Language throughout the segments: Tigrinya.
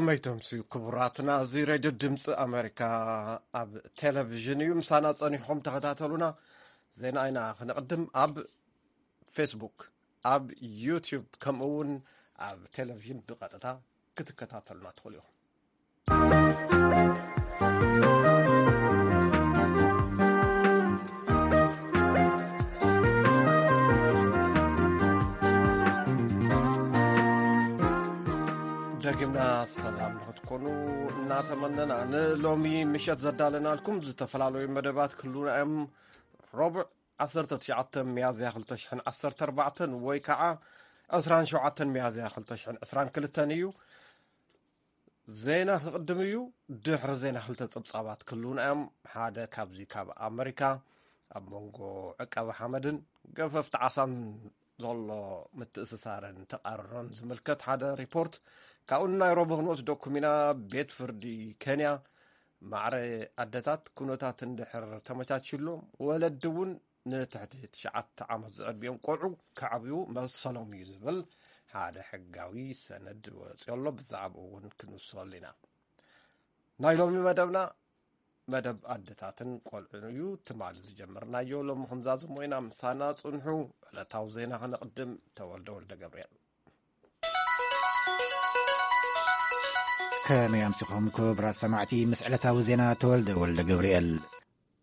መይቶም ስዩ ክቡራትና፣ እዚ ሬድዮ ድምፂ ኣሜሪካ ኣብ ቴሌቪዥን እዩ። ምሳና ጸኒሕኩም ተኸታተሉና። ዜና ኢና ክንቕድም። ኣብ ፌስቡክ፣ ኣብ ዩቲዩብ፣ ከምኡ እውን ኣብ ቴሌቪዥን ብቐጥታ ክትከታተሉና ትኽእሉ ኢኹም። ደጊምና ሰላም ንክትኮኑ እናተመነና፣ ንሎሚ ምሸት ዘዳለናልኩም ዝተፈላለዩ መደባት ክህሉና እዮም። ረቡዕ ዓሰርተ ትሽዓተ ሚያዝያ ክልተ ሽሕን ዓሰርተ ኣርባዕተን ወይ ከዓ ዕስራን ሸውዓተን ሚያዝያ ክልተ ሽሕን ዕስራን ክልተን እዩ። ዜና ክቕድም እዩ። ድሕሪ ዜና ክልተ ጸብጻባት ክህሉና እዮም። ሓደ ካብዚ ካብ ኣመሪካ፣ ኣብ መንጎ ዕቀባ ሓመድን ገፈፍቲ ዓሳን ዘሎ ምትእስሳርን ተቓርሮን ዝምልከት ሓደ ሪፖርት፣ ካብኡ ንናይሮቢ ክንወስደኩም ኢና። ቤት ፍርዲ ኬንያ ማዕረ ኣደታት ኩነታት እንድሕር ተመቻችሎም፣ ወለዲ እውን ንትሕቲ ትሽዓተ ዓመት ዝዕድሚኦም ቆልዑ ከዕብዩ መሰሎም እዩ ዝብል ሓደ ሕጋዊ ሰነድ ወፂኡ ኣሎ። ብዛዕባኡ እውን ክንውስኸሉ ኢና። ናይ ሎሚ መደብና መደብ ኣደታትን ቆልዑን እዩ። ትማሊ ዝጀመርናዮ ሎሚ ክንዛዝሞ ኢና። ምሳና ጽንሑ። ዕለታዊ ዜና ከነቕድም። ተወልደ ወልደ ገብርኤል። ከመይ ኣምሲኹም ክቡራት ሰማዕቲ? ምስ ዕለታዊ ዜና ተወልደ ወልደ ገብርኤል።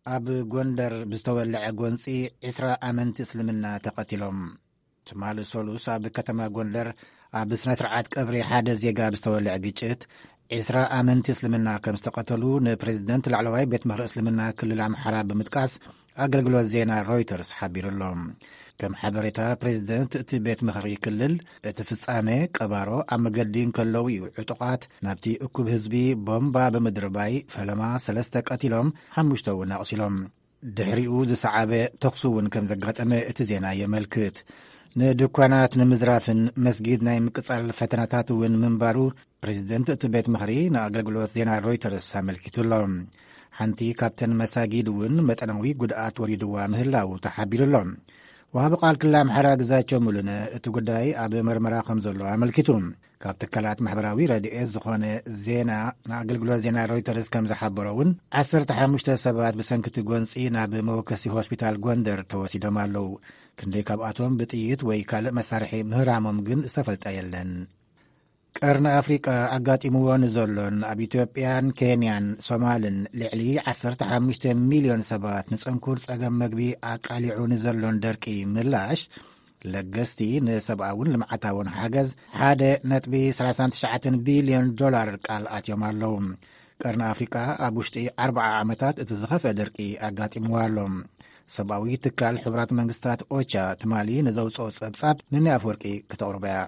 ኣብ ጎንደር ብዝተወልዐ ጎንጺ ዕስራ ኣመንቲ እስልምና ተቐቲሎም። ትማሊ ሰሉስ ኣብ ከተማ ጎንደር ኣብ ስነ ስርዓት ቀብሪ ሓደ ዜጋ ብዝተወልዐ ግጭት ዕስራ ኣመንቲ እስልምና ከም ዝተቐተሉ ንፕሬዝደንት ላዕለዋይ ቤት ምኽሪ እስልምና ክልል ኣምሓራ ብምጥቃስ ኣገልግሎት ዜና ሮይተርስ ሓቢሩ ኣሎ። ከም ሓበሬታ ፕሬዝደንት እቲ ቤት ምኽሪ ክልል፣ እቲ ፍጻመ ቀባሮ ኣብ መገዲ እንከለዉ እዩ ዕጡቓት ናብቲ እኩብ ህዝቢ ቦምባ ብምድርባይ ፈለማ ሰለስተ ቀቲሎም፣ ሓሙሽተ እውን ኣቑሲሎም። ድሕሪኡ ዝሰዓበ ተኹሲ እውን ከም ዘጋጠመ እቲ ዜና የመልክት። ንድኳናት ንምዝራፍን መስጊድ ናይ ምቅጻል ፈተናታት እውን ምንባሩ ፕሬዝደንት እቲ ቤት ምኽሪ ንኣገልግሎት ዜና ሮይተርስ ኣመልኪቱ ኣሎ። ሓንቲ ካብተን መሳጊድ እውን መጠናዊ ጉድኣት ወሪድዋ ምህላው ተሓቢሩ ኣሎ። ወሃቢ ቃል ክልል ኣምሓራ ግዛቸው ሙሉነ እቲ ጉዳይ ኣብ መርመራ ከም ዘሎ ኣመልኪቱ። ካብ ትካላት ማሕበራዊ ረድኤት ዝኾነ ዜና ንኣገልግሎት ዜና ሮይተርስ ከም ዝሓበሮ እውን ዓሰርተ ሓሙሽተ ሰባት ብሰንኪ እቲ ጎንጺ ናብ መወከሲ ሆስፒታል ጎንደር ተወሲዶም ኣለዉ። ክንደይ ካብኣቶም ብጥይት ወይ ካልእ መሳርሒ ምህራሞም ግን ዝተፈልጠ የለን። ቀርኒ ኣፍሪቃ ኣጋጢምዎ ንዘሎን ኣብ ኢትዮጵያን ኬንያን ሶማልን ልዕሊ ዓሰርተ ሓሙሽተ ሚልዮን ሰባት ንጽንኩር ጸገም መግቢ ኣቃሊዑ ንዘሎን ደርቂ ምላሽ፣ ለገስቲ ንሰብኣውን ልምዓታውን ሓገዝ ሓደ ነጥቢ ሰላሳን ትሽዓተን ቢልዮን ዶላር ቃል ኣትዮም ኣለዉ። ቀርኒ ኣፍሪቃ ኣብ ውሽጢ ኣርብዓ ዓመታት እቲ ዝኸፍአ ደርቂ ኣጋጢምዋ ኣሎ። ሰብኣዊ ትካል ሕቡራት መንግስታት ኦቻ ትማሊ ንዘውፅኦ ጸብጻብ ንኒ ኣፍወርቂ ክተቕርቦ እያ።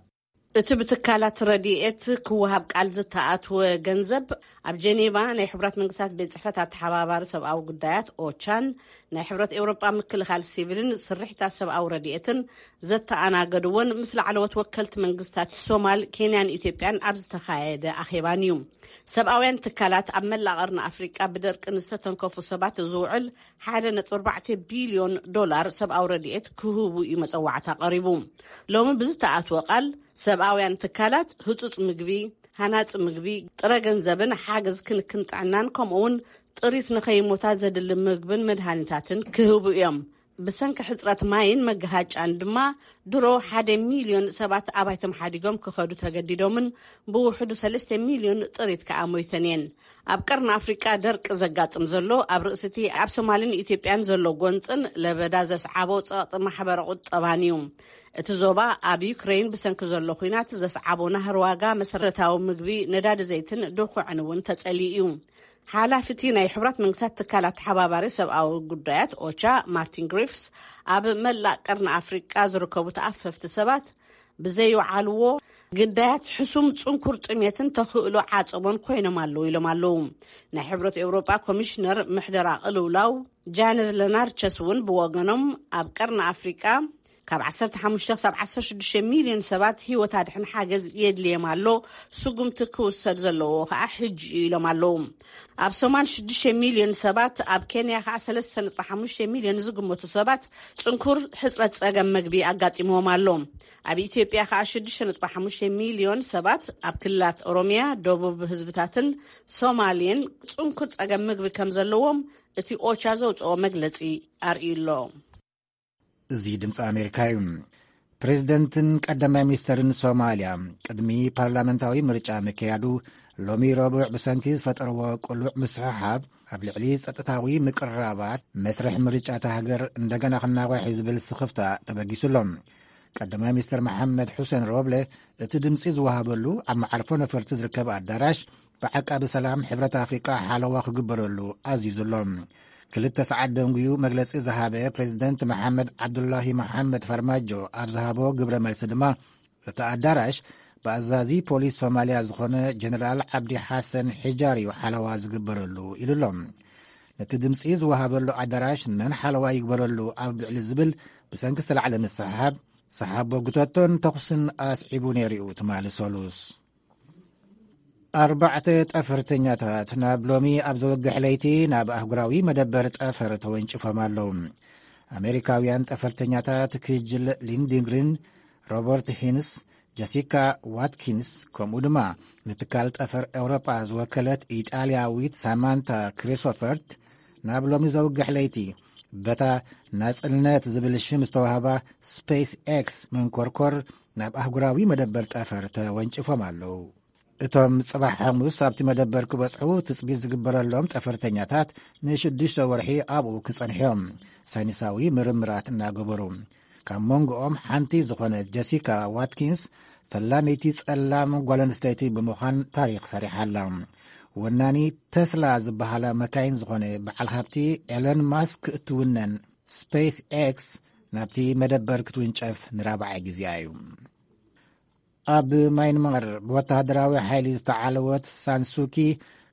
እቲ ብትካላት ረድኤት ክወሃብ ቃል ዝተኣትወ ገንዘብ፣ ኣብ ጀኔቫ ናይ ሕቡራት መንግስታት ቤት ጽሕፈት ኣተሓባባሪ ሰብኣዊ ጉዳያት ኦቻን ናይ ሕብረት ኤውሮጳ ምክልኻል ሲቪልን ስርሒታት ሰብኣዊ ረድኤትን ዘተኣናገድዎን ምስ ላዕለዎት ወከልቲ መንግስታት ሶማል፣ ኬንያን ኢትዮጵያን ኣብ ዝተኻየደ ኣኼባን እዩ። ሰብኣውያን ትካላት ኣብ መላእ ቀርኒ ኣፍሪቃ ብደርቂ ንዝተተንከፉ ሰባት ዝውዕል ሓደ ነጥቢ ኣርባዕተ ቢልዮን ዶላር ሰብኣዊ ረድኤት ክህቡ እዩ መጸዋዕታ ቀሪቡ። ሎሚ ብዝተኣትወ ቃል፣ ሰብኣውያን ትካላት ህጹጽ ምግቢ፣ ሃናጺ ምግቢ፣ ጥረ ገንዘብን ሓገዝ ክንክን ጥዕናን፣ ከምኡውን ጥሪት ንኸይሞታ ዘድሊ ምግብን መድሃኒታትን ክህቡ እዮም። ብሰንኪ ሕጽረት ማይን መገሃጫን ድማ ድሮ ሓደ ሚልዮን ሰባት ኣባይቶም ሓዲጎም ክኸዱ ተገዲዶምን ብውሕዱ ሰለስተ ሚልዮን ጥሪት ከኣ ሞይተን እየን። ኣብ ቀርኒ ኣፍሪቃ ደርቂ ዘጋጥም ዘሎ ኣብ ርእሲቲ ኣብ ሶማልን ኢትዮጵያን ዘሎ ጎንጽን ለበዳ ዘስዓቦ ጸቕጢ ማሕበረ ቁጠባን እዩ። እቲ ዞባ ኣብ ዩክሬን ብሰንኪ ዘሎ ኲናት ዘስዓቦ ናህሪ ዋጋ መሰረታዊ ምግቢ፣ ነዳዲ ዘይትን ድኹዕን እውን ተጸሊኡ እዩ። ሓላፊ እቲ ናይ ሕቡራት መንግስታት ትካል ኣተሓባባሪ ሰብኣዊ ጉዳያት ኦቻ ማርቲን ግሪፍስ፣ ኣብ መላእ ቀርኒ ኣፍሪቃ ዝርከቡ ተኣፈፍቲ ሰባት ብዘይወዓልዎ ግዳያት ሕሱም ጽንኩር ጥሜትን ተኽእሎ ዓጸቦን ኮይኖም ኣለዉ ኢሎም ኣለዉ። ናይ ሕብረት ኤውሮጳ ኮሚሽነር ምሕደራ ቅልውላው ጃነዝ ለናርቸስ እውን ብወገኖም፣ ኣብ ቀርኒ ኣፍሪቃ ካብ ዓሰርተ ሓሙሽተ ክሳብ ዓሰርተ ሽዱሽተ ሚልዮን ሰባት ህይወት ኣድሕን ሓገዝ የድልዮም ኣሎ። ስጉምቲ ክውሰድ ዘለዎ ከዓ ሕጂ እዩ ኢሎም ኣለዉ። ኣብ ሶማል ሽዱሽተ ሚልዮን ሰባት፣ ኣብ ኬንያ ከዓ ሰለስተ ነጥቢ ሓሙሽተ ሚልዮን ዝግመቱ ሰባት ጽንኩር ሕጽረት ጸገም መግቢ ኣጋጢምዎም ኣሎ። ኣብ ኢትዮጵያ ከዓ ሽዱሽተ ነጥቢ ሓሙሽተ ሚልዮን ሰባት፣ ኣብ ክልላት ኦሮሚያ፣ ደቡብ ህዝብታትን ሶማሌን ጽንኩር ጸገም ምግቢ ከም ዘለዎም እቲ ኦቻ ዘውፅኦ መግለፂ ኣርእዩ ኣሎ። እዚ ድምፂ ኣሜሪካ እዩ። ፕሬዚደንትን ቀዳማይ ሚኒስተርን ሶማልያ ቅድሚ ፓርላመንታዊ ምርጫ ምክያዱ፣ ሎሚ ረቡዕ ብሰንኪ ዝፈጠርዎ ቅሉዕ ምስሕሓብ ኣብ ልዕሊ ጸጥታዊ ምቅርራባት መስርሕ ምርጫ እታ ሃገር እንደገና ክናዋሕ እዩ ዝብል ስኽፍታ ተበጊሱ ኣሎ። ቀዳማይ ሚኒስተር መሓመድ ሑሴን ሮብለ እቲ ድምፂ ዝወሃበሉ ኣብ መዓርፎ ነፈርቲ ዝርከብ ኣዳራሽ ብዓቃቢ ሰላም ሕብረት ኣፍሪቃ ሓለዋ ክግበረሉ ኣዚዙ ኣሎ። ክልተ ሰዓት ደንጉዩ መግለፂ ዝሃበ ፕሬዚደንት መሓመድ ዓብዱላሂ መሓመድ ፈርማጆ ኣብ ዝሃቦ ግብረ መልሲ ድማ፣ እቲ ኣዳራሽ ብኣዛዚ ፖሊስ ሶማልያ ዝኾነ ጀነራል ዓብዲ ሓሰን ሒጃር እዩ ሓለዋ ዝግበረሉ ኢሉ ኣሎ። ነቲ ድምፂ ዝወሃበሉ ኣዳራሽ መን ሓለዋ ይግበረሉ ኣብ ልዕሊ ዝብል ብሰንኪ ዝተላዕለ ምስሕሓብ፣ ሰሓቦ ጉተቶን ተኹስን ኣስዒቡ ነይሩ እዩ ትማሊ ሰሉስ። ኣርባዕተ ጠፈርተኛታት ናብ ሎሚ ኣብ ዘወግሕ ለይቲ ናብ ኣህጉራዊ መደበር ጠፈር ተወንጭፎም ኣለዉ። ኣሜሪካውያን ጠፈርተኛታት ክጅል ሊንድግሪን፣ ሮበርት ሂንስ፣ ጀሲካ ዋትኪንስ፣ ከምኡ ድማ ንትካል ጠፈር ኤውሮጳ ዝወከለት ኢጣልያዊት ሳማንታ ክሪሶፈርት ናብ ሎሚ ዘውግሕ ለይቲ በታ ናጽነት ዝብል ሽም ዝተዋህባ ስፔስ ኤክስ መንኮርኮር ናብ ኣህጉራዊ መደበር ጠፈር ተወንጭፎም ኣለዉ። እቶም ጽባሕ ሓሙስ ኣብቲ መደበር ክበጽሑ ትጽቢት ዝግበረሎም ጠፈርተኛታት ንሽዱሽተ ወርሒ ኣብኡ ክጸንሑ እዮም፣ ሳይንሳዊ ምርምራት እናገበሩ። ካብ መንጎኦም ሓንቲ ዝኾነት ጀሲካ ዋትኪንስ ፈላመይቲ ጸላም ጓል ኣንስተይቲ ብምዃን ታሪኽ ሰሪሓ ኣላ። ወናኒ ተስላ ዝበሃላ መካይን ዝኾነ በዓል ሃብቲ ኤሎን ማስክ እትውነን ስፔስ ኤክስ ናብቲ መደበር ክትውንጨፍ ንራብዓይ ግዜኣ እዩ። ኣብ ማይንማር ብወተሃደራዊ ሓይሊ ዝተዓለወት ሳንሱኪ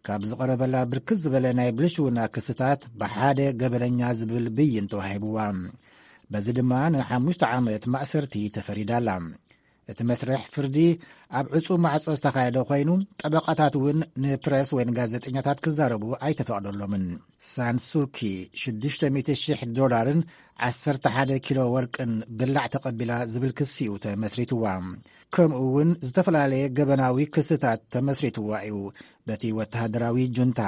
ካብ ዝቐረበላ ብርክት ዝበለ ናይ ብልሽውና ክስታት ብሓደ ገበነኛ ዝብል ብይን ተዋሂብዋ። በዚ ድማ ንሓሙሽተ ዓመት ማእሰርቲ ተፈሪዳላ። እቲ መስርሕ ፍርዲ ኣብ ዕጹ ማዕጾ ዝተኻየደ ኮይኑ፣ ጠበቃታት እውን ንፕረስ ወይ ንጋዜጠኛታት ክዛረቡ ኣይተፈቕደሎምን። ሳንሱኪ ሽዱሽተ ሚእቲ ሽሕ ዶላርን ዓሰርተ ሓደ ኪሎ ወርቅን ብላዕ ተቐቢላ ዝብል ክሲ እዩ ተመስሪትዋ። ከምኡ እውን ዝተፈላለየ ገበናዊ ክስታት ተመስሪትዋ እዩ በቲ ወተሃደራዊ ጁንታ።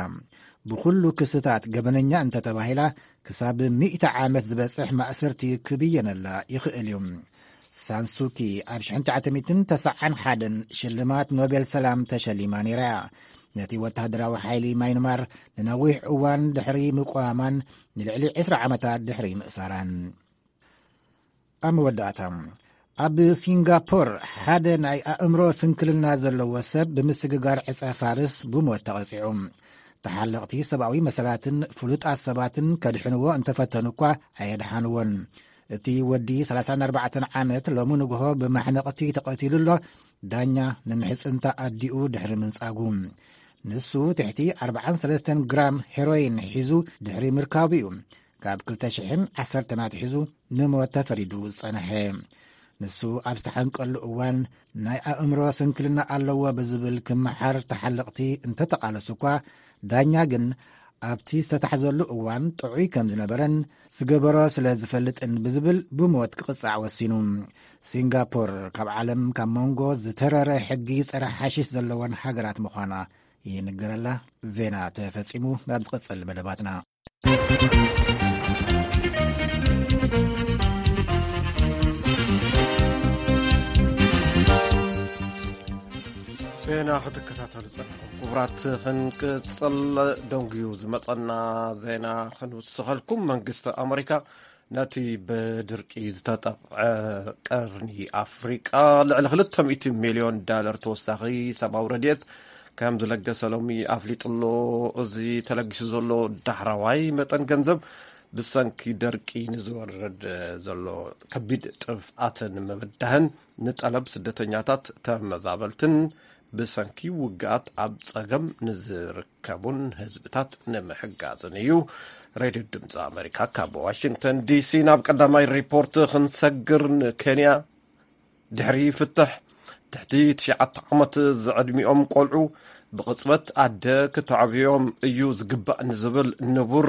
ብኹሉ ክስታት ገበነኛ እንተተባሂላ፣ ክሳብ ሚእቲ ዓመት ዝበጽሕ ማእሰርቲ ክብየነላ ይኽእል እዩ። ሳንሱኪ ኣብ ሽሕን ትሽዓተ ሚእትን ተስዓን ሓደን ሽልማት ኖቤል ሰላም ተሸሊማ ነይራ እያ። ነቲ ወተሃደራዊ ሓይሊ ማይንማር ንነዊሕ እዋን ድሕሪ ምቋማን ንልዕሊ ዕስራ ዓመታት ድሕሪ ምእሳራን። ኣብ መወዳእታ፣ ኣብ ሲንጋፖር ሓደ ናይ ኣእምሮ ስንክልና ዘለዎ ሰብ ብምስግጋር ዕጸ ፋርስ ብሞት ተቐጺዑ። ተሓለቕቲ ሰብኣዊ መሰላትን ፍሉጣት ሰባትን ከድሕንዎ እንተፈተኑ እኳ ኣየድሓንዎን። እቲ ወዲ ሰላሳን ኣርባዕተን ዓመት ሎሚ ንግሆ ብማሕነቕቲ ተቐቲሉ ኣሎ፣ ዳኛ ንምሕጽንታ ኣዲኡ ድሕሪ ምንጻጉ። ንሱ ትሕቲ ኣርባዓን ሰለስተን ግራም ሄሮይን ሒዙ ድሕሪ ምርካቡ እዩ ካብ ክልተ ሽሕን ዓሰርተን ኣትሒዙ ንሞት ተፈሪዱ ዝጸንሐ። ንሱ ኣብ ዝተሓንቀሉ እዋን ናይ ኣእምሮ ስንክልና ኣለዎ ብዝብል ክመሓር ተሓለቕቲ እንተተቓለሱ እኳ፣ ዳኛ ግን ኣብቲ ዝተታሕዘሉ እዋን ጥዑይ ከም ዝነበረን ዝገበሮ ስለ ዝፈልጥን ብዝብል ብሞት ክቕጻዕ ወሲኑ። ሲንጋፖር ካብ ዓለም ካብ መንጎ ዝተረረ ሕጊ ጸረ ሓሽሽ ዘለወን ሃገራት ምዃና ይንገረላ። ዜና ተፈጺሙ። ናብ ዝቕጽል መደባትና። ዜና ክትከታተሉ ጸኒሕኩም ክቡራት፣ ክንቅጽል። ደንጉዩ ዝመጸና ዜና ክንውስኸልኩም። መንግስቲ ኣመሪካ ነቲ ብድርቂ ዝተጠቕዐ ቀርኒ ኣፍሪቃ ልዕሊ ክልተ ሚእቲ ሚልዮን ዳለር ተወሳኺ ሰብኣዊ ረድኤት ከም ዝለገሰ ሎሚ ኣፍሊጡ ኣሎ። እዚ ተለጊሱ ዘሎ ዳሕራዋይ መጠን ገንዘብ ብሰንኪ ደርቂ ንዝወርድ ዘሎ ከቢድ ጥፍኣትን ምብዳህን ንጠለብ ስደተኛታት፣ ተመዛበልትን ብሰንኪ ውግኣት ኣብ ጸገም ንዝርከቡን ህዝብታት ንምሕጋዝን እዩ። ሬድዮ ድምፂ ኣሜሪካ ካብ ዋሽንግተን ዲሲ። ናብ ቀዳማይ ሪፖርት ክንሰግር፣ ንኬንያ ድሕሪ ፍትሕ ትሕቲ ትሽዓተ ዓመት ዝዕድሚኦም ቆልዑ ብቕጽበት ኣደ ክተዕብዮም እዩ ዝግባእ ንዝብል ንቡር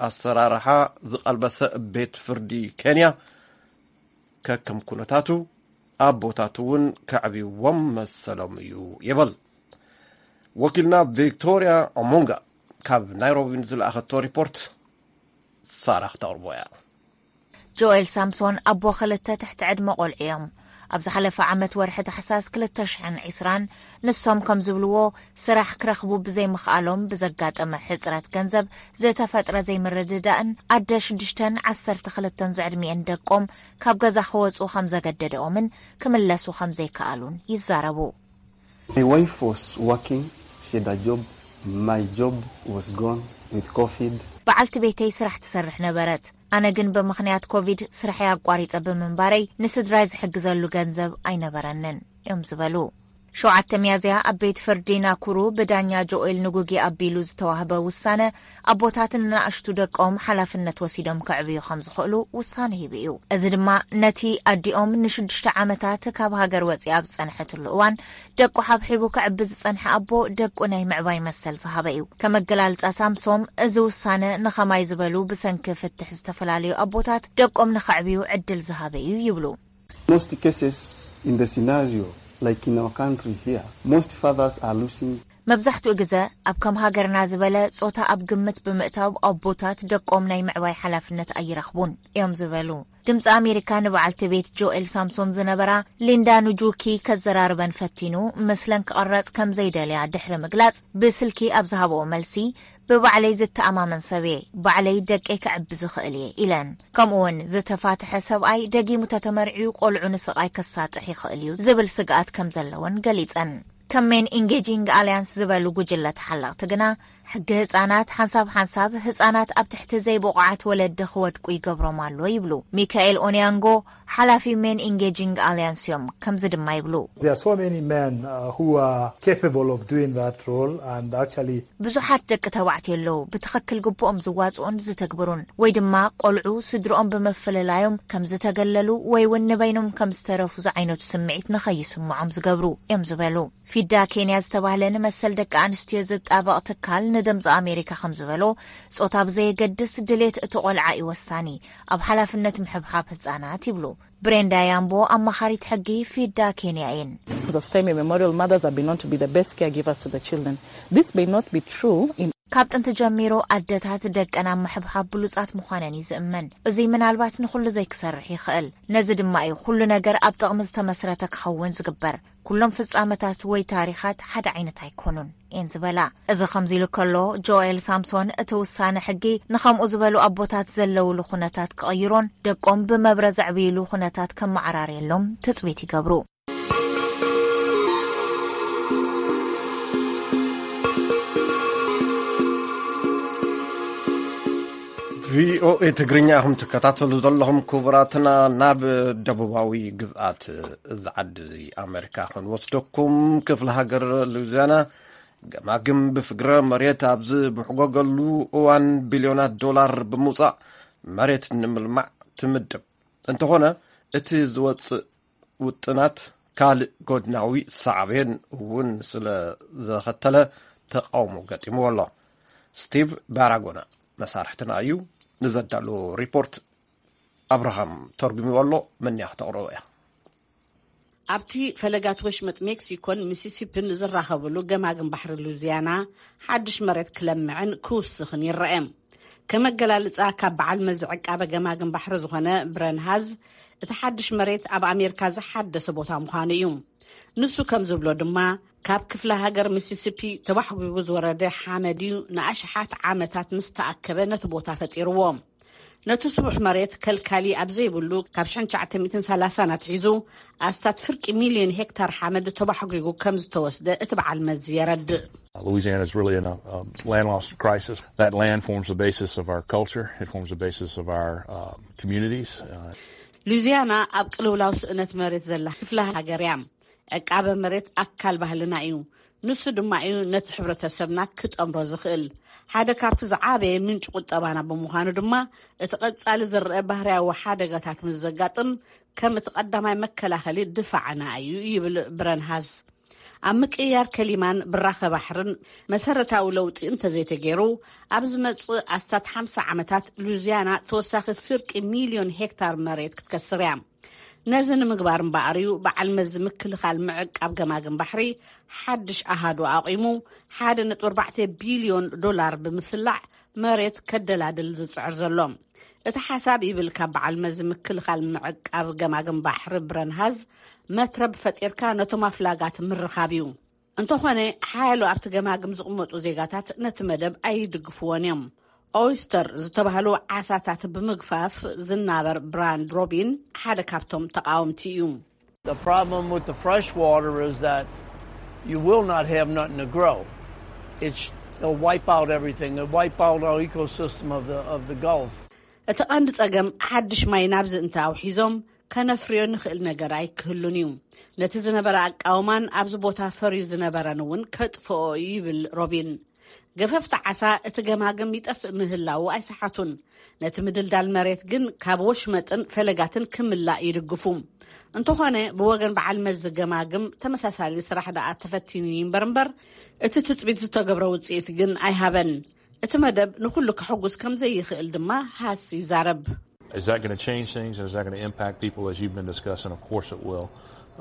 ኣሰራርሓ ዝቐልበሰ ቤት ፍርዲ ኬንያ፣ ከከም ኩነታቱ ኣቦታት እውን ከዕብይዎም መሰሎም እዩ ይብል። ወኪልና ቪክቶርያ ኦሞንጋ ካብ ናይሮቢ ንዝለኣኸቶ ሪፖርት ሳራ ክተቕርቦ እያ። ጆኤል ሳምሶን ኣቦ ክልተ ትሕቲ ዕድመ ቆልዑ እዮም። ኣብ ዝሓለፈ ዓመት ወርሒ ታሕሳስ ክልተ ሽሕን ዕስራን፣ ንሶም ከም ዝብልዎ፣ ስራሕ ክረኽቡ ብዘይምኽኣሎም ብዘጋጠመ ሕጽረት ገንዘብ ዝተፈጥረ ዘይምርድዳእን ኣደ ሽዱሽተን ዓሰርተ ክልተን ዝዕድሚኤን ደቆም ካብ ገዛ ክወጹ ከም ዘገደደኦምን ክምለሱ ከም ዘይከኣሉን ይዛረቡ። My wife was working, she had a job. My job was gone with COVID. በዓልቲ ቤተይ ስራሕ ትሰርሕ ነበረት። ኣነ ግን ብምኽንያት ኮቪድ ስራሐይ ኣቋሪጸ ብምንባረይ፣ ንስድራይ ዝሕግዘሉ ገንዘብ ኣይነበረንን እዮም ዝበሉ። ሸውዓተ ሚያዝያ ኣብ ቤት ፍርዲ ናኩሩ ብዳኛ ጆኤል ንጉጊ ኣቢሉ ዝተዋህበ ውሳነ፣ ኣቦታት ንናእሽቱ ደቆም ሓላፍነት ወሲዶም ከዕብዩ ከም ዝኽእሉ ውሳነ ሂቡ እዩ። እዚ ድማ ነቲ ኣዲኦም ንሽዱሽተ ዓመታት ካብ ሃገር ወፂኣ ኣብ ዝፀንሐትሉ እዋን ደቁ ሓብሒቡ ከዕቢ ዝፀንሐ ኣቦ ደቁ ናይ ምዕባይ መሰል ዝሃበ እዩ። ከም ኣገላልፃ ሳምሶም፣ እዚ ውሳነ ንኸማይ ዝበሉ ብሰንኪ ፍትሕ ዝተፈላለዩ ኣቦታት ደቆም ንኸዕብዩ ዕድል ዝሃበ እዩ ይብሉ። Most cases in the scenario, like in our country here, most fathers are losing. መብዛሕትኡ ግዘ ኣብ ከም ሃገርና ዝበለ ጾታ ኣብ ግምት ብምእታው ኣቦታት ደቆም ናይ ምዕባይ ሓላፍነት ኣይረኽቡን እዮም ዝበሉ። ድምፂ ኣሜሪካ ንበዓልቲ ቤት ጆኤል ሳምሶን ዝነበራ ሊንዳ ኑጁኪ ከዘራርበን ፈቲኑ፣ ምስለን ክቐረጽ ከም ዘይደልያ ድሕሪ ምግላጽ፣ ብስልኪ ኣብ ዝሃበኦ መልሲ፣ ብባዕለይ ዝተኣማመን ሰብ እየ፣ ባዕለይ ደቀይ ከዕቢ ዝኽእል እየ ኢለን። ከምኡውን ዝተፋትሐ ሰብኣይ ደጊሙ ተተመርዕዩ ቆልዑ ንስቓይ ከሳጥሕ ይኽእል እዩ ዝብል ስግኣት ከም ዘለወን ገሊጸን። ከም ሜን ኢንጌጂንግ ኣልያንስ ዝበሉ ጉጅለ ተሓለቕቲ ግና፣ ሕጊ ህጻናት ሓንሳብ ሓንሳብ ህጻናት ኣብ ትሕቲ ዘይብቑዓት ወለዲ ክወድቁ ይገብሮም ኣሎ ይብሉ። ሚካኤል ኦንያንጎ ሓላፊ ሜን ኢንጌጂንግ ኣልያንስ እዮም። ከምዚ ድማ ይብሉ። There are so many men uh, who are capable of doing that role and actually ብዙሓት ደቂ ተባዕትዮ ኣለዉ፣ ብትኽክል ግቡኦም ዝዋጽኡን ዝትግብሩን፣ ወይ ድማ ቆልዑ ስድርኦም ብምፍልላዮም ከም ዝተገለሉ ወይ እውን ንበይኖም ከም ዝተረፉ ዝዓይነቱ ስምዒት ንኸይስምዖም ዝገብሩ እዮም ዝበሉ። ፊዳ ኬንያ ዝተባህለ ንመሰል ደቂ ኣንስትዮ ዝጣበቕ ትካል ንድምፂ ኣሜሪካ ከም ዝበሎ፣ ጾታ ብዘየገድስ ድሌት እቲ ቆልዓ እዩ ወሳኒ ኣብ ሓላፍነት ምሕብሓብ ህጻናት ይብሉ። ብሬንዳ ያምቦ ኣማኻሪት ሕጊ ፊዳ ኬንያ እየን። As of time immemorial, mothers have been known to be the best caregivers to the children. This may not be true in ካብ ጥንቲ ጀሚሩ ኣደታት ደቀን ኣብ ምሕብሓብ ብሉጻት ምዃነን እዩ ዝእመን። እዙይ ምናልባት ንኹሉ ዘይክሰርሕ ይኽእል። ነዚ ድማ እዩ ኩሉ ነገር ኣብ ጥቕሚ ዝተመስረተ ክኸውን ዝግበር። ኩሎም ፍጻመታት ወይ ታሪኻት ሓደ ዓይነት ኣይኮኑን እየን ዝበላ። እዚ ከምዚ ኢሉ ከሎ፣ ጆኤል ሳምሶን እቲ ውሳነ ሕጊ ንኸምኡ ዝበሉ ኣቦታት ዘለውሉ ኩነታት ክቕይሮን ደቆም ብመብረ ዘዕብይሉ ኩነታት ከመዓራርየሎም ትጽቢት ይገብሩ። ቪኦኤ ትግርኛ ኢኹም ትከታተሉ ዘለኹም ክቡራትና። ናብ ደቡባዊ ግዝኣት እዚ ዓዲ እዚ ኣሜሪካ ክንወስደኩም። ክፍለ ሃገር ሉዚያና ገማግም ብፍግረ መሬት ኣብ ዝብሕጎገሉ እዋን ቢልዮናት ዶላር ብምውፃእ መሬት ንምልማዕ ትምድብ። እንተኾነ እቲ ዝወፅእ ውጥናት ካልእ ጎድናዊ ሳዕቤን እውን ስለ ዘኸተለ ተቃውሞ ገጢምዎ ኣሎ። ስቲቭ ባራጎና መሳርሕትና እዩ። ንዘዳለዎ ሪፖርት ኣብርሃም ተርጉምዎ ኣሎ። መን እያ ክተቕርቦ እያ። ኣብቲ ፈለጋት ወሽመጥ ሜክሲኮን ሚሲሲፒን ዝራኸብሉ ገማግም ባሕሪ ሉዚያና ሓድሽ መሬት ክለምዕን ክውስኽን ይረአ። ከም ኣገላልጻ ካብ በዓል መዚ ዕቃበ ገማግም ባሕሪ ዝኾነ ብረን ሃዝ፣ እቲ ሓድሽ መሬት ኣብ ኣሜሪካ ዝሓደሰ ቦታ ምዃኑ እዩ። ንሱ ከም ዝብሎ ድማ፣ ካብ ክፍለ ሃገር ሚሲሲፒ ተባሕጒጉ ዝወረደ ሓመድ እዩ ንኣሽሓት ዓመታት ምስ ተኣከበ ነቲ ቦታ ፈጢርዎ። ነቲ ስቡሕ መሬት ከልካሊ ኣብ ዘይብሉ ካብ ሽሕን ትሽዓተ ሚእትን ሰላሳን ኣትሒዙ ኣስታት ፍርቂ ሚልዮን ሄክታር ሓመድ ተባሕጒጉ ከም ዝተወስደ እቲ በዓል መዚ የረድእ። Louisiana is really in a, a land loss crisis. That land forms the basis of our culture. It forms the basis of our uh, communities. Uh, ሉዚያና ኣብ ቅልውላው ስእነት መሬት ዘላ ክፍለ ሃገር እያ። ዕቃበ መሬት ኣካል ባህልና እዩ። ንሱ ድማ እዩ ነቲ ሕብረተሰብና ክጠምሮ ዝኽእል። ሓደ ካብቲ ዝዓበየ ምንጪ ቁጠባና ብምዃኑ ድማ፣ እቲ ቀጻሊ ዝረአ ባህርያዊ ሓደጋታት ምስ ዘጋጥም፣ ከም እቲ ቀዳማይ መከላኸሊ ድፋዕና እዩ፣ ይብል ብረንሃዝ። ኣብ ምቅይያር ከሊማን ብራኸ ባሕርን መሰረታዊ ለውጢ እንተዘይተገይሩ፣ ኣብ ዝመጽእ ኣስታት ሓምሳ ዓመታት ሉዚያና ተወሳኺ ፍርቂ ሚልዮን ሄክታር መሬት ክትከስር እያ። ነዚ ንምግባር እምበኣር እዩ በዓል መዚ ምክልኻል ምዕቃብ ገማግም ባሕሪ ሓድሽ ኣሃዱ ኣቑሙ፣ ሓደ ነጥቢ ኣርባዕተ ቢልዮን ዶላር ብምስላዕ መሬት ከደላድል ዝጽዕር ዘሎ። እቲ ሓሳብ ይብል ካብ በዓል መዚ ምክልኻል ምዕቃብ ገማግም ባሕሪ ብረንሃዝ፣ መትረብ ፈጢርካ ነቶም ኣፍላጋት ምርኻብ እዩ። እንተኾነ፣ ሓያሎ ኣብቲ ገማግም ዝቕመጡ ዜጋታት ነቲ መደብ ኣይድግፍዎን እዮም። ኦይስተር ዝተባህሉ ዓሳታት ብምግፋፍ ዝናበር ብራንድ ሮቢን ሓደ ካብቶም ተቃወምቲ እዩ። The problem with the fresh water is that you will not have nothing to grow. It's, it'll wipe out everything. It'll wipe out our ecosystem of the, of the Gulf. እቲ ቀንዲ ጸገም፣ ሓድሽ ማይ ናብዚ እንተ ኣውሒዞም፣ ከነፍርዮ ንኽእል ነገር ኣይክህሉን እዩ። ነቲ ዝነበረ ኣቃውማን ኣብዚ ቦታ ፈርዩ ዝነበረን እውን ከጥፍኦ እዩ፣ ይብል ሮቢን። ገፈፍቲ ዓሳ እቲ ገማግም ይጠፍእ ምህላዉ ኣይሰሓቱን። ነቲ ምድልዳል መሬት ግን ካብ ወሽመጥን ፈለጋትን ክምላእ ይድግፉ። እንተኾነ፣ ብወገን በዓል መዚ ገማግም ተመሳሳሊ ስራሕ ደኣ ተፈቲኑ ይንበር እምበር፣ እቲ ትጽቢት ዝተገብረ ውጽኢት ግን ኣይሃበን። እቲ መደብ ንኹሉ ከሐጉስ ከም ዘይኽእል ድማ ሃስ ይዛረብ። Is that going to change things? And is that going to impact people as you've been discussing? Of course it will.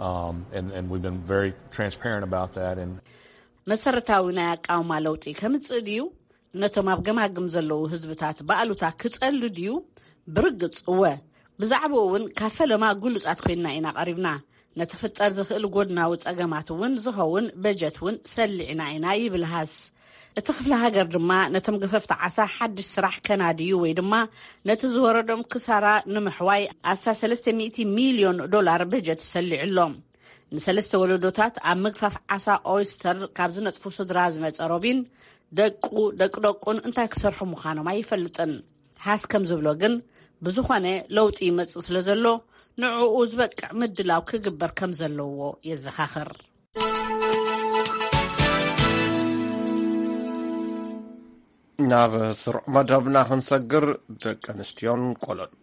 Um, and, and we've been very transparent about that. And መሰረታዊ ናይ ኣቃውማ ለውጢ ከምጽእ ድዩ? ነቶም ኣብ ገማግም ዘለዉ ህዝብታት ብኣሉታ ክጸሉ ድዩ? ብርግጽ እወ። ብዛዕባኡ እውን ካብ ፈለማ ግሉጻት ኮይንና ኢና ቀሪብና። ነቲ ክፍጠር ዝኽእል ጎድናዊ ጸገማት እውን ዝኸውን በጀት እውን ሰሊዕና ኢና፣ ይብል ሃስ። እቲ ክፍለ ሃገር ድማ ነቶም ገፈፍቲ ዓሳ ሓድሽ ስራሕ ከናድዩ ወይ ድማ ነቲ ዝወረዶም ክሳራ ንምሕዋይ ኣስታት ሰለስተ ሚእቲ ሚልዮን ዶላር በጀት ሰሊዑ ኣሎ። ንሰለስተ ወለዶታት ኣብ ምግፋፍ ዓሳ ኦይስተር ካብ ዝነጥፉ ስድራ ዝመጸ ሮቢን፣ ደቁ ደቂ ደቁን እንታይ ክሰርሑ ምዃኖም ኣይፈልጥን። ሃስ ከም ዝብሎ ግን፣ ብዝኾነ ለውጢ ይመጽእ ስለ ዘሎ፣ ንዕኡ ዝበቅዕ ምድላው ክግበር ከም ዘለዎ የዘኻኽር። ናብ ስሩዕ መደብና ክንሰግር፣ ደቂ ኣንስትዮን ቆሎን።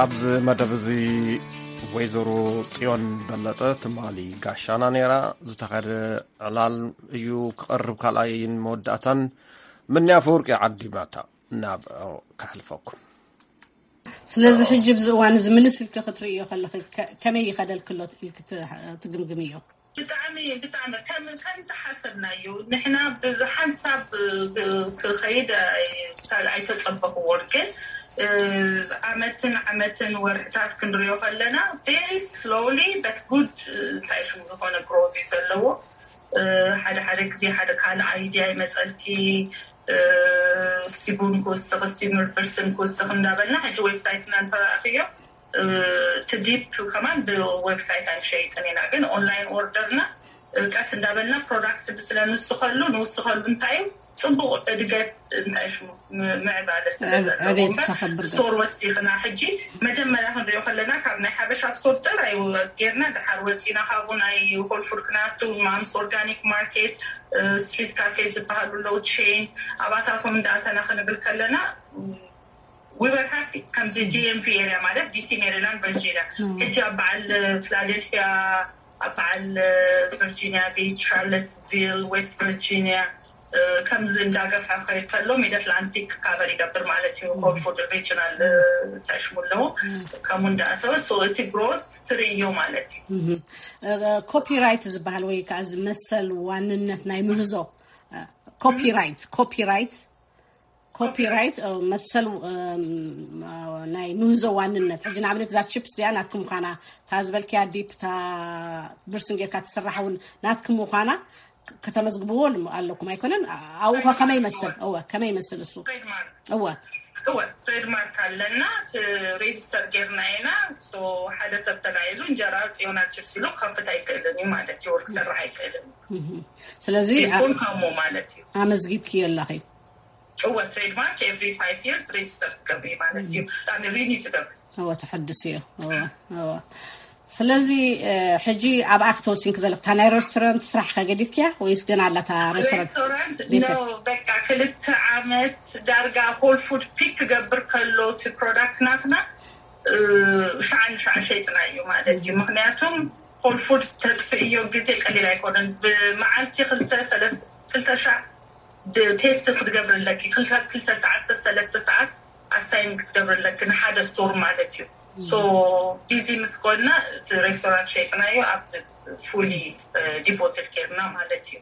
ኣብዚ መደብ እዚ ወይዘሮ ጽዮን በለጠ ትማሊ ጋሻና ነይራ። ዝተኸደ ዕላል እዩ ክቐርብ፣ ካልኣይን መወዳእታን። ምንያ ኣፈወርቂ ዓዲማታ፣ ናብ ከሕልፈኩም። ስለዚ ሕጂ ብዚ እዋን እዚ ምልስ ኢልኪ ክትርእዮ ከለኺ፣ ከ-፣ ከመይ ይኸደልክሎ ኢልኪ ት-፣ ትግምግምዮ? ብጣዕሚ ብጣዕሚ ከም ከም ዝሓሰብናዮ ንሕና ብሓንሳብ ክ- ክኸይድ ኣይ- ኣይተጸበኽዎን፣ ግን እ፣ ዓመትን ዓመትን ወርሕታት ክንሪኦ ከለና very slowly but good፣ እ፣ እንታይ ሽሙ ዝኾነ growth እዩ ዘለዎ። እ፣ ሓደ ሓደ ግዜ ሓደ ካልእ idea ይመጸልኪ። እ፣ እስቲ ቡን ክውስኽ፣ እስቲ ብርስን ክውስኽ እንዳበልና ሕጂ website ና እንተረኣኽዮ፣ እ፣ እቲ ዲፕ ከማን ብ website ኣይንሸይጥን ኢና፣ ግን online order ና፣ እ፣ ቀስ እንዳበልና product ስለ ንስኸሉ ንውስኸሉ እንታይ እዩ ጽቡቕ እድገት እንታይ ሽሙ ም- ምዕባለ ስለ ዘለዎ ዕቤት እምበር ከኸብር ገ- ስቶር ወሲኽና ሕጂ መጀመርያ ክንሪኦ ከለና ካብ ናይ ሓበሻ ስቶር ጥራይ ጌርና ድሓር ወፂና ካብኡ ናይ Whole Foods ክናቱ ማምስ organic market፣ street cafe ዝበሃሉ ኣለዉ፣ ቼን ኣባታቶም እንዳኣተና ክንብል ከለና we were happy። ከምዚ ዲኤምቪ ኤሪያ ማለት ዲሲ፣ ሜሪላንድ፣ ቨርጂኒያ፣ ሕጂ ኣብ በዓል ፊላደልፊያ፣ ኣብ በዓል ቨርጂኒያ ቢች፣ ሻርለትስቪል፣ ዌስት ቨርጂኒያ፣ ከምዚ እንዳገፍሐ ክኸይድ ከሎ ሚድ ኣትላንቲክ ካቨር ይገብር ማለት እዩ። Whole Foods ሪጅናል ተሽሙ ኣለዎ። ከምኡ እንዳኣተወ so እቲ ግሮት ትርእዮ ማለት እዩ። ኮፒራይት ዝበሃል ወይ ከዓ እዚ መሰል ዋንነት ናይ ምህዞ፣ ኮፒራይት ኮፒራይት ኮፒራይት መሰል ናይ ምህዞ ዋንነት። ሕጂ ንኣብነት እዛ ቺፕስ እዚኣ ናትኩም ምዃና፣ እታ ዝበልክያ ዲፕ፣ እታ ብርስን ጌርካ ትስራሕ እውን ናትኩም ምዃና ከተመዝግብዎ ኣለኩም ኣይኮነን? ኣብኡ ከ ከመይ ይመስል? እወ፣ ከመይ ይመስል እሱ? እወ። እወ፣ ትሬድማርክ ኣለና፣ ሬጅስተር ጌርና ኢና። ሓደ ሰብ ተላዒሉ እንጀራ ጽዮና ቺፕስ ኢሉ ክኸፍት ኣይክእልን እዩ ማለት እዩ፣ ወርክ ክሰርሕ ኣይክእልን እዩ። ስለዚ ይኹን ከምኡ ማለት እዩ። ኣመዝጊብክዮ ኣለኺ? እወ፣ ትሬድማርክ ኤቭሪ ፋይቭ ይርስ ሬጅስተር ትገብሪ ማለት እዩ። ጣሚ ሪኒ ትገብሪ። እወ፣ ተሐድስ እዩ። እወ፣ እወ። ስለዚ ሕጂ ኣብኣ ክትወሲንክ ዘለክ እታ ናይ ሬስቶራንት ስራሕ ከገዲፍክያ ወይስ ገና ኣላታ ሬስቶራንት? ሬስቶራንት ኖ፣ በቃ ክልተ ዓመት ዳርጋ ሆል ፉድ ፒክ ክገብር ከሎ እቲ ፕሮዳክት ናትና ሻዓ ንሻዓ ሸይጥና እዩ ማለት እዩ። ምክንያቱም ሆል ፉድ ተጥፍእዮ ግዜ ቀሊል ኣይኮነን። ብመዓልቲ ክልተ ሰለስተ ክልተ ሻዕ ቴስት ክትገብርለኪ፣ ክልተ ሰዓት ሰለስተ ሰዓት ኣሳይን ክትገብርለኪ ንሓደ ስቶር ማለት እዩ። ሶ ቢዚ ምስ ኮንና እቲ ሬስቶራንት ሸይጥናዮ ኣብዚ ፉሊ ዲቮትድ ኬርና ማለት እዩ።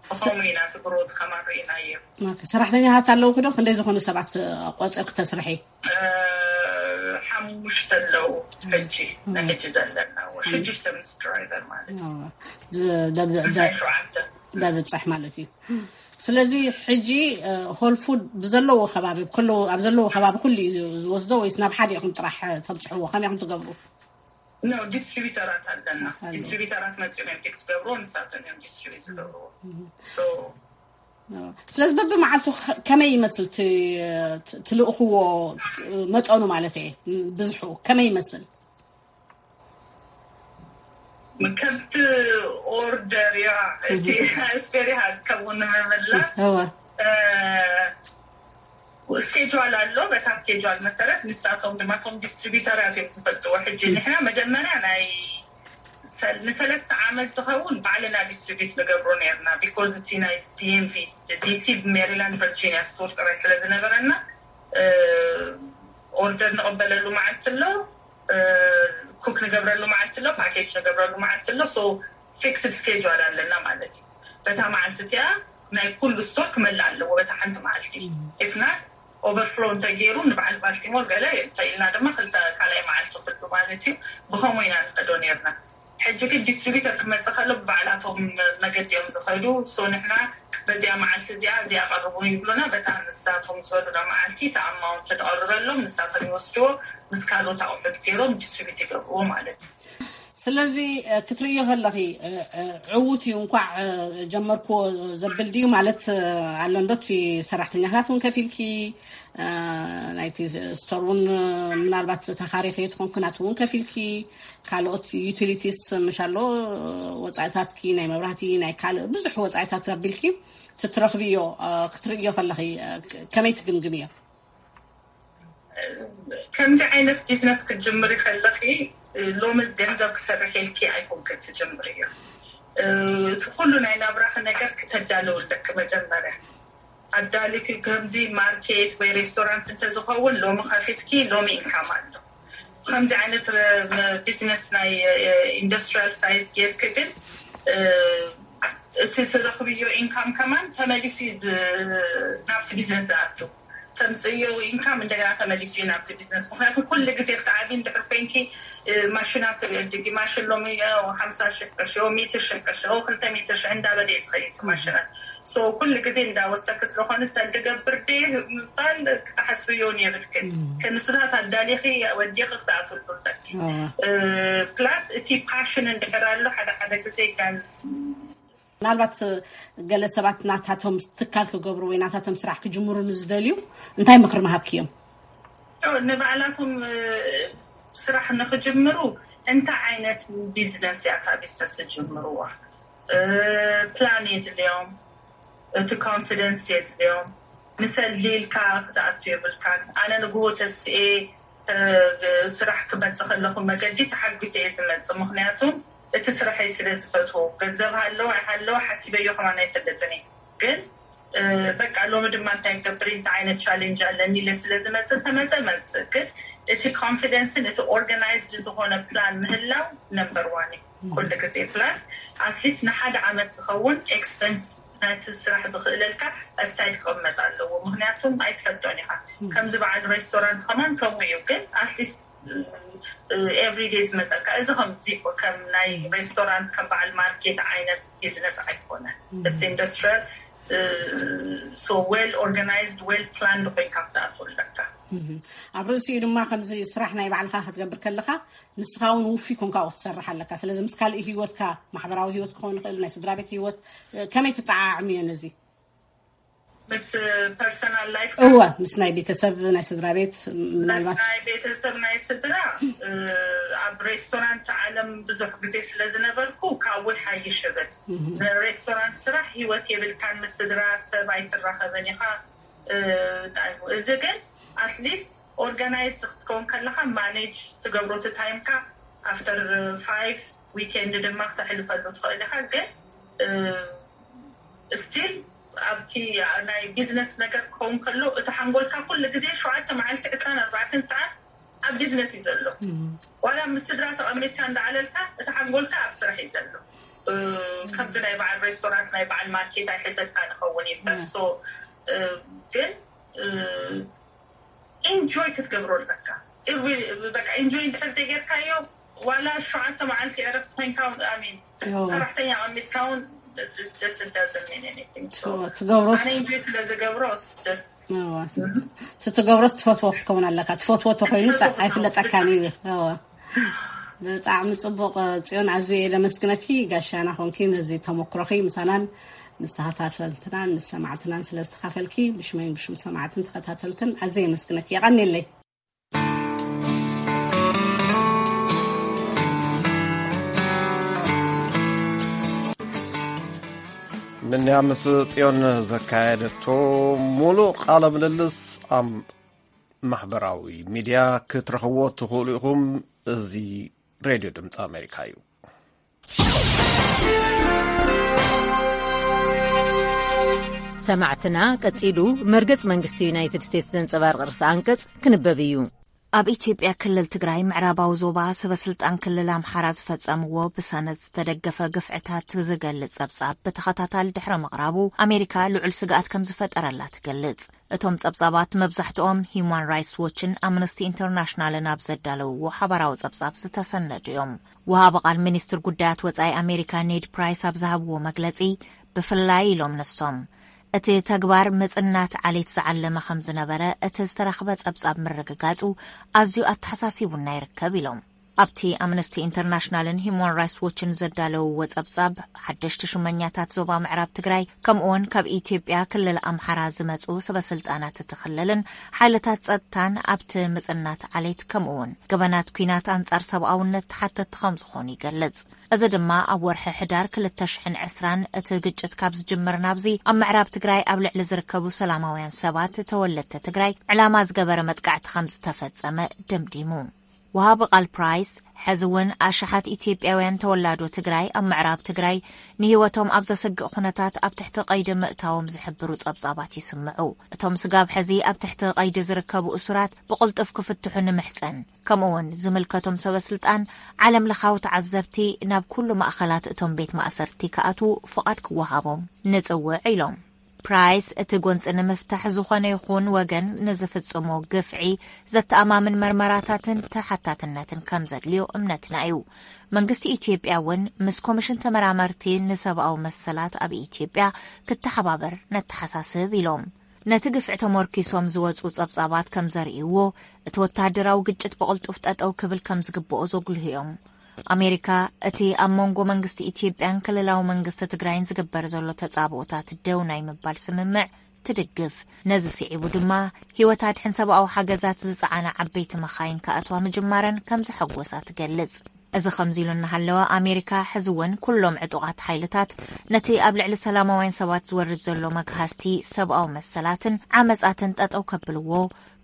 ብኸምኡ ኢና እቲ ግሮት ከማር ኢናዮ። ሰራሕተኛታት ኣለውኪ ዶ? ክንደይ ዝኾኑ ሰባት ቆፅርኪ ተስርሒ? ሓሙሽተ ኣለዉ ሕጂ፣ ንሕጂ ዘለና ሽዱሽተ ምስ ድራይቨር ማለት እዩ። ደብፅሕ ማለት እዩ። ስለዚ ሕጂ ሆል ፉድ ብዘለዎ ከባቢ ከለዎ ኣብ ዘለዎ ከባቢ ኩሉ እዩ ዝወስዶ ወይስ ናብ ሓደ ኢኹም ጥራሕ ተብፅሕዎ? ከመይ ኢኹም ትገብሩ? ኖ፣ ዲስትሪቢተራት ኣለና። ዲስትሪቢተራት መፂኦም እዮም ፒክ ዝገብርዎ፣ ንሳቶም እዮም ዲስትሪቢት ዝገብርዎ። ስለዚ በብመዓልቱ ከመይ ይመስል ትልእኽዎ? መጠኑ ማለት እየ፣ ብዝሑ ከመይ ይመስል? ከምቲ ኦርደር ያ እቲ ስፔሪሃ ከምኡ ንምምላስ ስኬጁል ኣሎ። በታ ስኬጁል መሰረት ንሳቶም ድማ ቶም ዲስትሪቢተራት እዮም ዝፈልጥዎ። ሕጂ ንሕና መጀመርያ ናይ ንሰለስተ ዓመት ዝኸውን ባዕልና ዲስትሪቢት ንገብሮ ነርና። ቢኮዝ እቲ ናይ ዲኤምቪ ዲሲ፣ ሜሪላንድ፣ ቨርጂኒያ ስቶር ጥራይ ስለ ዝነበረና ኦርደር ንቕበለሉ መዓልቲ ኣሎ፣ ኩክ ንገብረሉ መዓልቲ ኣሎ፣ ፓኬጅ ንገብረሉ መዓልቲ ኣሎ። ሶ ፊክስድ ስኬጁል ኣለና ማለት እዩ። በታ መዓልቲ እቲኣ ናይ ኩሉ ስቶር ክመልእ ኣለዎ በታ ሓንቲ መዓልቲ። ኢፍናት ኦቨርፍሎ እንተገይሩ ንበዓል ባልቲሞር ገለ እንተኢልና ድማ ክልተ ካልኣይ መዓልቲ ክሉ ማለት እዩ። ብኸምኡ ኢና ንኸዶ ነርና። ሕጂ ግን ዲስትሪቢተር ክመፅእ ከሎ ብባዕላቶም መገዲ እዮም ዝኸዱ። ሶ ንሕና በዚኣ መዓልቲ እዚኣ እዚኣ ቀርቡ ይብሉና፣ በታ ንሳቶም ዝበሉና መዓልቲ እቲ ኣማውንት ንቐርበሎም፣ ንሳቶም ይወስድዎ፣ ምስ ካልኦት ኣቑሑት ገይሮም ዲስትሪቢት ይገብርዎ ማለት እዩ። ስለዚ ክትርእዮ ከለኺ ዕዉት እዩ፣ እንኳዕ ጀመርክዎ ዘብል ድዩ ማለት ኣሎ እንዶ? እቲ ሰራሕተኛታት እውን ከፊልኪ፣ ናይቲ ስቶር እውን ምናልባት ተኻሪኺ ትኾንኪ፣ ናቱ እውን ከፊልኪ፣ ካልኦት ዩቲሊቲስ ምሽ ኣሎ፣ ወፃኢታትኪ ናይ መብራህቲ ናይ ካልእ ብዙሕ ወፃኢታት ኣቢልኪ ትትረኽብዮ ክትርእዮ ከለኺ ከመይ ትግምግምዮ? ከምዚ ዓይነት ቢዝነስ ክትጅምሪ ከለኺ ሎሚ ገንዘብ ክሰርሕ ኢልኪ ኣይኮንክን ትጅምርዮ። እቲ ኩሉ ናይ ናብራኺ ነገር ክተዳልው ኣለኪ መጀመርያ። ኣዳሊኪ ከምዚ ማርኬት ወይ ሬስቶራንት እንተዝኸውን ሎሚ ከፊትኪ ሎሚ ኢንካም ኣሎ። ከምዚ ዓይነት ቢዝነስ ናይ ኢንዱስትሪያል ሳይዝ ጌርኪ ግን እቲ ትረኽብዮ ኢንካም ከማን ተመሊሱ ናብቲ ቢዝነስ ዝኣቱ። ተምፅዮ ኢንካም እንደገና ተመሊሱ እዩ ናብቲ ቢዝነስ። ምክንያቱ ኩሉ ግዜ ክትዓቢ እንድሕር ኮይንኪ ማሽናት ትዕድጊ፣ ማሽን ሎሚ ሓምሳ ሽሕ ቅርሺ፣ ሚእቲ ሽሕ ቅርሺ፣ ክልተ ሚእቲ ሽሕ እንዳበለ እዩ ዝኸይድ ማሽናት። ሶ ኩሉ ግዜ እንዳወሰኪ ስለኾነ ሰልዲ ገብር ደ ምባል ክትሓስብዮን የብልክን። ክንስታት ኣዳሊኺ ወዲኺ ክትኣትሉ ኣለኪ። ፕላስ እቲ ፓሽን እንድሕር ኣሎ ሓደ ሓደ ግዜ ጋን ምናልባት ገለ ሰባት ናታቶም ትካል ክገብሩ ወይ ናታቶም ስራሕ ክጅምሩ ንዝደልዩ እንታይ ምኽሪ ምሃብክዮም? ንባዕላቶም ስራሕ ንክጅምሩ እንታይ ዓይነት ቢዝነስ እያ እታ ቢዝነስ ዝጅምርዋ? ፕላን የድልዮም፣ እቲ ኮንፊደንስ የድልዮም። ንሰሊልካ ክትኣቱ የብልካን። ኣነ ንግሆ ተስኤ ስራሕ ክመፅእ ከለኹ መገዲ ተሓጒሰ እየ ዝመፅእ። ምክንያቱ እቲ ስራሐይ ስለ ዝፈትዎ፣ ገንዘብ ሃለወ ኣይሃለወ ሓሲበዮ ከማን ኣይፈልጥን እየ። ግን በቃ ሎሚ ድማ እንታይ ክገብር፣ እንታይ ዓይነት ቻሌንጅ ኣለኒ ኢለ ስለ ዝመፅእ፣ ተመፀ መፅእ። ግን እቲ ኮንፊደንስን እቲ ኦርጋናይዝድ ዝኾነ ፕላን ምህላው ነምበር ዋን እዩ ኩሉ ግዜ። ፕላስ ኣትሊስት ንሓደ ዓመት ዝኸውን ኤክስፐንስ ናይቲ ስራሕ ዝኽእለልካ ኣሳይድ ክቕመጥ ኣለዎ። ምክንያቱም ኣይትፈልጦን ኢኻ። ከምዚ በዓል ሬስቶራንት ከማን ከምኡ እዩ። ግን ኣትሊስት ኤቭሪዴ ዝመፀካ እዚ ከምዚ ከም ናይ ሬስቶራንት ከም በዓል ማርኬት ዓይነት ቢዝነስ ኣይኮነን። እስቲ ኢንዱስትሪያል ሶ ዌል ኦርጋናይዝድ ዌል ፕላንድ ኮይንካ ክትኣትው ኣለካ። ኣብ ርእሲኡ ድማ ከምዚ ስራሕ ናይ ባዕልካ ክትገብር ከለካ ንስኻ እውን ውፉይ ኮንካ ክትሰርሕ ኣለካ። ስለዚ ምስ ካልእ ህይወትካ ማሕበራዊ ህይወት ክኸውን ይኽእል፣ ናይ ስድራ ቤት ህይወት ከመይ ትጠዓዓምዮ ነዚ? ምስ ፐርሰናል ላይፍ እወ፣ ምስ ናይ ቤተሰብ፣ ናይ ስድራ ቤት፣ ምናልባት ናይ ቤተሰብ፣ ናይ ስድራ። ኣብ ሬስቶራንት ዓለም ብዙሕ ግዜ ስለ ዝነበርኩ ካብኡ ይሓይሽ እብል። ሬስቶራንት ስራሕ ህይወት የብልካን፣ ምስ ስድራ ሰብ ኣይትራኸብን ኢኻ። እዚ ግን ኣትሊስት ኦርጋናይዝ ክትከውን ከለካ ማኔጅ ትገብሮ እቲ ታይምካ። ኣፍተር ፋይቭ ዊኬንድ ድማ ክተሕልፈሉ ትኽእል ኢካ። ግን ስቲል ኣብቲ ናይ ቢዝነስ ነገር ክኸውን ከሎ እቲ ሓንጎልካ ኩሉ ግዜ ሸውዓተ መዓልቲ ዕስራን ኣርባዕተን ሰዓት ኣብ ቢዝነስ እዩ ዘሎ። ዋላ ምስ ስድራ ተቐሚጥካ እንዳዓለልካ እቲ ሓንጎልካ ኣብ ስራሕ እዩ ዘሎ። ከምዚ ናይ በዓል ሬስቶራንት ናይ በዓል ማርኬት ኣይሕዘካ ንኸውን ይበር። ሶ ግን ኢንጆይ ክትገብሮ ኣለካ። በቃ ኢንጆይ እንድሕር ዘይጌርካዮ ዋላ ሸውዓተ መዓልቲ ዕረፍቲ ኮይንካ እውን ኣሚን ሰራሕተኛ ኣሚትካ እውን just it doesn't mean anything. So ትገብሮስ ኣነ ኢንጆይ ስለ ዝገብሮ just እወ። እቲ ትገብሮስ ትፈትዎ ክትከውን ኣለካ። ትፈትዎ ተኮይኑ ሰ- ኣይፍለጠካን እዩ። እወ። ብጣዕሚ ጽቡቕ ጽዮን፣ ኣዝየ የመስግነኪ። ጋሻና ኮንኪ ነዚ ተመክሮኺ ምሳናን ምስ ተኸታተልትናን ምስ ሰማዕትናን ስለ ዝተኻፈልኪ ብሽመይን ብሽም ሰማዕትን ተኸታተልትን ኣዝየ የመስግነኪ። የቐንየለይ። ንንያ ምስ ጽዮን ዘካየደቶ ሙሉእ ቃለ ምልልስ ኣብ ማሕበራዊ ሚድያ ክትረኽብዎ ትኽእሉ ኢኹም። እዚ ሬድዮ ድምፂ ኣሜሪካ እዩ። ሰማዕትና፣ ቀጺሉ መርገጽ መንግስቲ ዩናይትድ ስቴትስ ዘንጸባርቕ ርእሰ ኣንቀጽ ክንበብ እዩ። ኣብ ኢትዮጵያ ክልል ትግራይ ምዕራባዊ ዞባ ሰበስልጣን ክልል ኣምሓራ ዝፈጸምዎ ብሰነድ ዝተደገፈ ግፍዕታት ዝገልጽ ጸብጻብ ብተኸታታሊ ድሕሪ ምቕራቡ ኣሜሪካ ልዑል ስግኣት ከም ዝፈጠረላ ትገልጽ። እቶም ጸብጻባት መብዛሕትኦም ሂዩማን ራይትስ ዎችን ኣምነስቲ ኢንተርናሽናልን ኣብ ዘዳለውዎ ሓባራዊ ጸብጻብ ዝተሰነዱ እዮም። ወሃቢ ቃል ሚኒስትር ጉዳያት ወጻኢ ኣሜሪካ ኔድ ፕራይስ ኣብ ዝሃብዎ መግለጺ፣ ብፍላይ ኢሎም ንሶም፣ እቲ ተግባር ምጽናት ዓሌት ዝዓለመ ከም ዝነበረ እቲ ዝተረኽበ ጸብጻብ ምርግጋጹ ኣዝዩ ኣተሓሳሲቡና ይርከብ ኢሎም። ኣብቲ ኣምነስቲ ኢንተርናሽናልን ሂዩማን ራይትስ ዎችን ዘዳለውዎ ጸብጻብ፣ ሓደሽቲ ሹመኛታት ዞባ ምዕራብ ትግራይ ከምኡውን ካብ ኢትዮጵያ ክልል ኣምሓራ ዝመጹ ሰበስልጣናት እቲ ክልልን ሓይልታት ጸጥታን ኣብቲ ምጽናት ዓሌት ከምኡውን ገበናት ኲናት ኣንጻር ሰብኣውነት ተሓተትቲ ከም ዝኾኑ ይገልጽ። እዚ ድማ ኣብ ወርሒ ሕዳር ክልተ ሽሕን ዕስራን እቲ ግጭት ካብ ዝጅምር ናብዚ ኣብ ምዕራብ ትግራይ ኣብ ልዕሊ ዝርከቡ ሰላማውያን ሰባት ተወለድቲ ትግራይ ዕላማ ዝገበረ መጥቃዕቲ ከም ዝተፈጸመ ደምዲሙ። ወሃቢ ቃል ፕራይስ፣ ሕዚ እውን ኣሽሓት ኢትዮጵያውያን ተወላዶ ትግራይ ኣብ ምዕራብ ትግራይ ንህይወቶም ኣብ ዘሰግእ ኩነታት ኣብ ትሕቲ ቀይዲ ምእታዎም ዝሕብሩ ጸብጻባት ይስምዑ። እቶም ስጋብ ሕዚ ኣብ ትሕቲ ቀይዲ ዝርከቡ እሱራት ብቕልጡፍ ክፍትሑ ንምሕጸን፣ ከምኡ እውን ዝምልከቶም ሰበስልጣን ዓለም ለኻዊ ተዓዘብቲ ናብ ኩሉ ማእኸላት እቶም ቤት ማእሰርቲ ክኣትዉ ፍቓድ ክወሃቦም ንጽውዕ ኢሎም። ፕራይስ፣ እቲ ጎንፂ ንምፍታሕ ዝኾነ ይኹን ወገን ንዝፍጽሞ ግፍዒ ዘተኣማምን መርመራታትን ተሓታትነትን ከም ዘድልዮ እምነትና እዩ። መንግስቲ ኢትዮጵያ እውን ምስ ኮሚሽን ተመራመርቲ ንሰብኣዊ መሰላት ኣብ ኢትዮጵያ ክተሓባበር ነተሓሳስብ ኢሎም። ነቲ ግፍዒ ተመርኪሶም ዝወፁ ጸብጻባት ከም ዘርእይዎ፣ እቲ ወተሃደራዊ ግጭት ብቕልጡፍ ጠጠው ክብል ከም ዝግብኦ ዘጉልሁ እዮም። ኣሜሪካ፣ እቲ ኣብ መንጎ መንግስቲ ኢትዮጵያን ክልላዊ መንግስቲ ትግራይን ዝግበር ዘሎ ተጻብኦታት ደው ናይ ምባል ስምምዕ ትድግፍ። ነዚ ስዒቡ ድማ ህይወት ኣድሕን ሰብኣዊ ሓገዛት ዝጸዓና ዓበይቲ መኻይን ክኣትዋ ምጅማረን ከም ዘሐጎሳ ትገልጽ። እዚ ከምዚ ኢሉ እናሃለወ፣ ኣሜሪካ ሕዚ እውን ኩሎም ዕጡቓት ሓይልታት ነቲ ኣብ ልዕሊ ሰላማውያን ሰባት ዝወርድ ዘሎ መግሃስቲ ሰብኣዊ መሰላትን ዓመጻትን ጠጠው ከብልዎ፣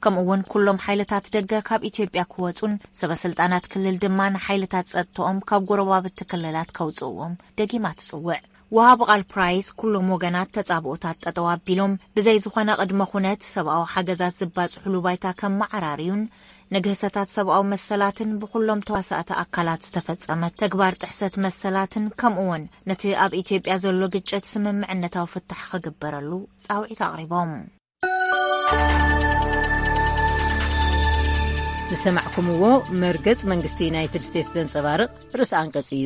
ከምኡ እውን ኩሎም ሓይልታት ደገ ካብ ኢትዮጵያ ክወጹን ሰበስልጣናት ክልል ድማ ንሓይልታት ጸጥትኦም ካብ ጎረባብቲ ክልላት ከውጽእዎም ደጊማ ትጽውዕ። ወሃቢ ቃል ፕራይስ፣ ኩሎም ወገናት ተጻብኦታት ጠጠው ኣቢሎም ብዘይ ዝኾነ ቅድመ ኩነት ሰብኣዊ ሓገዛት ዝባጽሕሉ ባይታ ከመዓራርዩን ንግህሰታት ሰብኣዊ መሰላትን ብኩሎም ተዋሳእቲ ኣካላት ዝተፈጸመ ተግባር ጥሕሰት መሰላትን ከምኡ እውን ነቲ ኣብ ኢትዮጵያ ዘሎ ግጭት ስምምዕነታዊ ፍታሕ ክግበረሉ ጻውዒት ኣቕሪቦም። ዝሰማዕኩምዎ መርገጽ መንግስቲ ዩናይትድ ስቴትስ ዘንጸባርቕ ርእሰ ኣንቀጽ እዩ።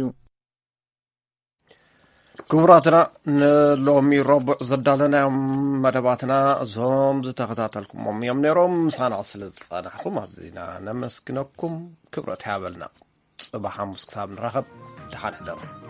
ክቡራትና፣ ንሎሚ ረቡዕ ዘዳለናዮም መደባትና እዞም ዝተኸታተልኩሞም እዮም ነይሮም። ምሳና ስለ ዝጸናሕኩም ኣዚና ነመስግነኩም። ክብረት ይሃበልና። ጽባሕ ሓሙስ ክሳብ ንራኸብ፣ ደሓን ሕደሩ።